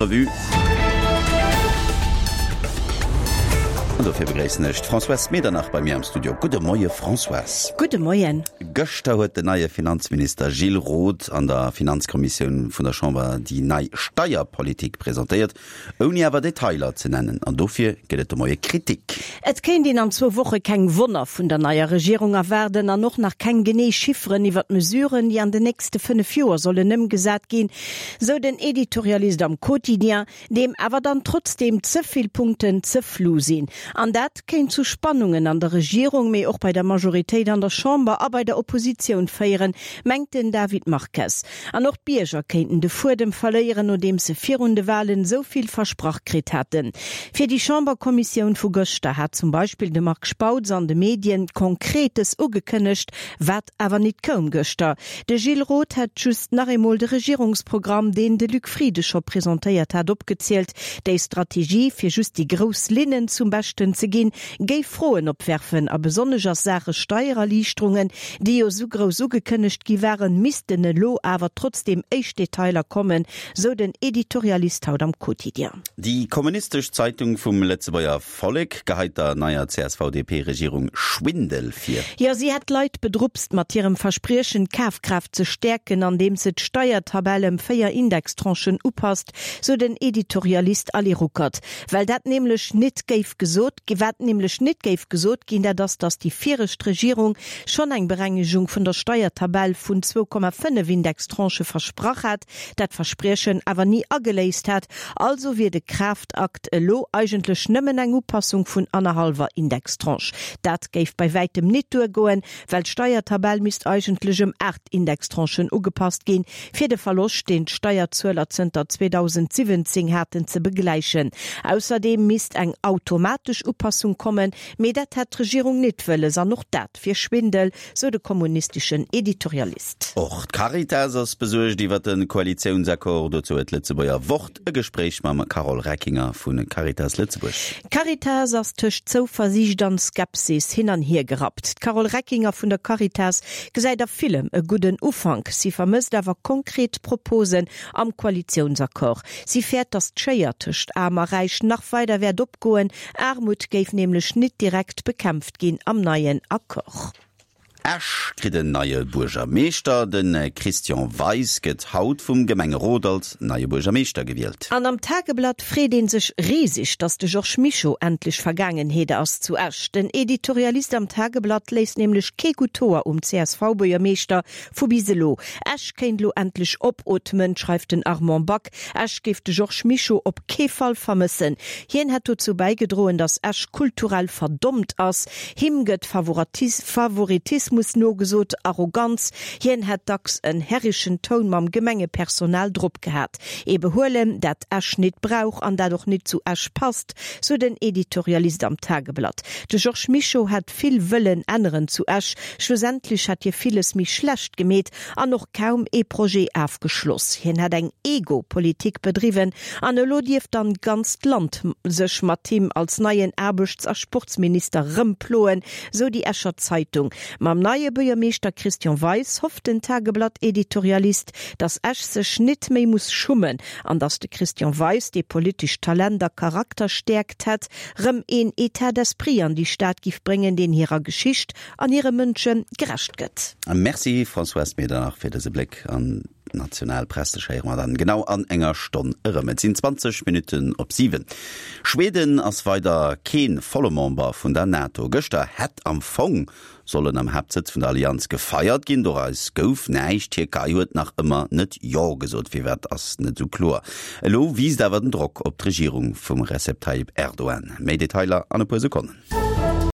Revue. An dofir begréissen ech d'Françoise Medernach bei mir am Studio. Gudde Moie Françoise. Gudde Moien. Gëschter huet den neie Finanzminister Gilles Roth an der Finanzkommissioun vun der Chamber déi nei Steierpolitik presentéiert, ouni awer Detailer ze nennen. An dofir gëtt et de Moie Kritik. Et kéint een an zwou Woche keng Wonner vun der neier Regierung erwaarden an och nach keng genee Chifferen iwwer d'Mesuren, déi an den nächste 5 Joer sollen ëmgesat ginn, Sou den Editorialist am Quotidien, deem awer dann trotzdeem ze vill Punkten ze flou sinn. An dat kéint zu Spannungen an der Regierung, mee och bei der Majoritéit an der Chamber a bei der Oppositioun féieren, mengt den David Marques. An och d'Bierger kéinten de Fuedem verléieren, nodeems se virun de Walen esou vill versprach kritt haten. Fir déi Chamberkommissioun vu gëschter hat zum Beispill de Marc Spautz an de Medien Konkretes ugekënnegt, wat awer nit koum gëschter. De Gilles Roth hätt just nach eemol de Regierungsprogramm, deen de Luc Frieden scho presentéiert hat, opgezielt. Déi Strategie, fir just déi grouss Linnen zum Beschten ze ginn, géif Froen opwerfen a besonnesch a Saache Steiererliichterungen, déi jo sou grouss ugekënnegt gi waren, missten elo awer trotzdeem éischt Detailer kommen, sou den Editorialist haut am Quotidien. Déi kommunistesch Zeitung vum Lëtzebuerger Vollek geheit der neier CSV-DP-Regierung Schwindel vir. Jo, si hätt d'Leit bedrupst mat hirem Verspriechen, d'Kafkraaft ze stäerken, andeems se d'Steiertabell ëm 4 Indextranchen upasst, sou den Editorialist Ali Ruckert. Well dat nämlech nit géif gesot ginn, wat nämlech nit géif gesot ginn, dat ass, datt déi viregt Regierung schonn eng Berengegung vun der Steiertabell vun 2,5 Indextranchë versprach hat, dat Verspriechen awer ni ageléist hat. Also wier de Kraaftakt elo eigentlech nëmmen eng Upassung vun annerhallwer Indextranche. Dat géif bei wäitem nit duergoen, well d'Steiertabell misst eigentlech ëm 8 Indextranchen ugepasst ginn, fir de Verloscht, deen d'Steierzueler zënter 2017 haten, ze begläichen. Ausserdeem misst eng automatesch Upassung kommen, mee dat hätt d'Regierung nit wëlles an och dat wier Schwindel, sou de kommunisteschen Editorialist. Och d'Caritas ass besuergt iwwer de Koalitiounsaccord. Dozou huet d'Lëtzebuerger Wort e Gespréich mam Carole Reckinger vu Caritas Lëtzebuerg. D'Caritas ass tëscht Zouversiicht an Skepsis hin an hier gerappt. D'Carole Reckinger vun der Caritas gesäit a villem e gudden Ufank. Si vermësst awer konkret Proposen am Koalitiounsaccord. Si fäert, datt d'Schéier tëscht Aarm a Räich nach weider wäert opgoen. Aarmut géif nämlech nit direkt bekämpft ginn am neien Accord. Esch kritt en neie Buergermeeschter. De Christian Weis gëtt haut vum Gemengerot als neie Buergermeeschter gewielt. An am Tageblatt freet ee sech riseg, datt de Georges Mischo endlech Vergaangenheet ass zu Esch. Den Editorialist am Tageblatt léisst nämlech kee gutt Hoer um CSV-Buergermeeschter vu bis elo. Esch kéint elo endlech opootmen, schreift den Armand Back. Esch géif de Georges Mischo op kee Fall vermëssen. Hien hätt dozou bäigedroen, datt Esch kulturell verdommt ass. Him gëtt Favoritismus nogesot, Arroganz. Hien hätt dacks en herrischen Toun mam Gemengepersonal drop gehat. Ee Behuelen, dat Esch nit brauch an dat och nit zu Esch passt, sou den Editorialist am Tageblatt. De Georges Mischo hätt vill wëllen änneren zu Esch. Schlussendlech hätt hie villes méi schlecht gemeet an och kaum ee Projet afgeschloss. Hien hätt eng Ego-Politik bedriwwen an elo dierft dann d'ganzt Land sech mat him als neien Aarbechts a Sportsminister rëmploen, sou déi Escher Zeitung. Mam neie Buergermeeschter Christian Weis hofft den Tageblatt-Editorialist, datt Esch sech nit méi muss schummen an datt de Christian Weis, dee politescht Talent a Charakterstäerkt hätt, rëm een État d'esprit an déi Stad giff bréngen, deen hirer Geschicht an hire Mënsche gerecht gëtt. Merci Françoise Medernach fir dëse Bléck an d'national Press. Dech héiere mer dann genau an enger Stonn erëm. Et sinn 20 Minutten op 7. Schweden ass weider kee volle Member vun der NATO. Gëschter hätt am Fong sollen am Haaptsëtz vun der Allianz gefeiert ginn. Doraus gouf näischt. D'Tierkei huet nach ëmmer net Jo gesot. Firwat ass net esou kloer. Elo wiisst awer den Drock op d'Regierung vum Recep Tayyip Erdogan. Méi Detailer an e puer Sekonnen.